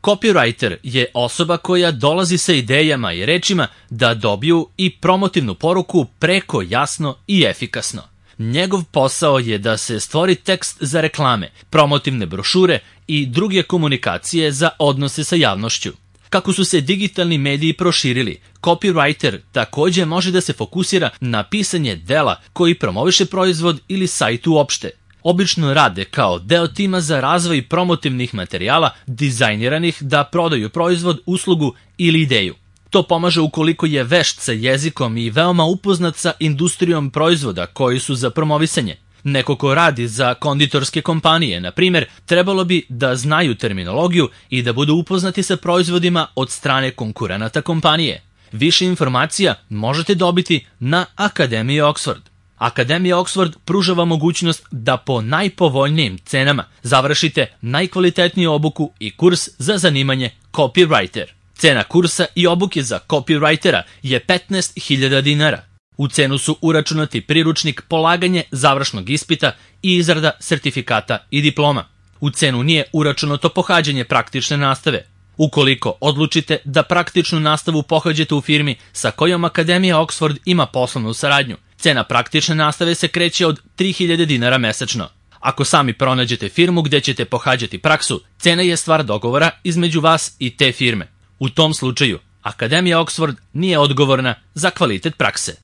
Copywriter je osoba koja dolazi sa idejama i rečima da dobiju i promotivnu poruku preko jasno i efikasno. Njegov posao je da se stvori tekst za reklame, promotivne brošure i druge komunikacije za odnose sa javnošću. Kako su se digitalni mediji proširili, copywriter takođe može da se fokusira na pisanje dela koji promoviše proizvod ili sajt uopšte. Obično rade kao deo tima za razvoj promotivnih materijala dizajniranih da prodaju proizvod, uslugu ili ideju. To pomaže ukoliko je vešt sa jezikom i veoma upoznat sa industrijom proizvoda koji su za promovisanje. Neko ko radi za konditorske kompanije, na primjer, trebalo bi da znaju terminologiju i da budu upoznati sa proizvodima od strane konkurenata kompanije. Više informacija možete dobiti na Akademiji Oxford. Akademija Oxford pruža vam mogućnost da po najpovoljnijim cenama završite najkvalitetniju obuku i kurs za zanimanje copywriter. Cena kursa i obuke za copywritera je 15.000 dinara. U cenu su uračunati priručnik, polaganje završnog ispita i izrada sertifikata i diploma. U cenu nije uračunato pohađanje praktične nastave. Ukoliko odlučite da praktičnu nastavu pohađate u firmi sa kojom Akademija Oxford ima poslovnu saradnju, cena praktične nastave se kreće od 3.000 dinara mesečno. Ako sami pronađete firmu gde ćete pohađati praksu, cena je stvar dogovora između vas i te firme. U tom slučaju, Akademija Oxford nije odgovorna za kvalitet prakse.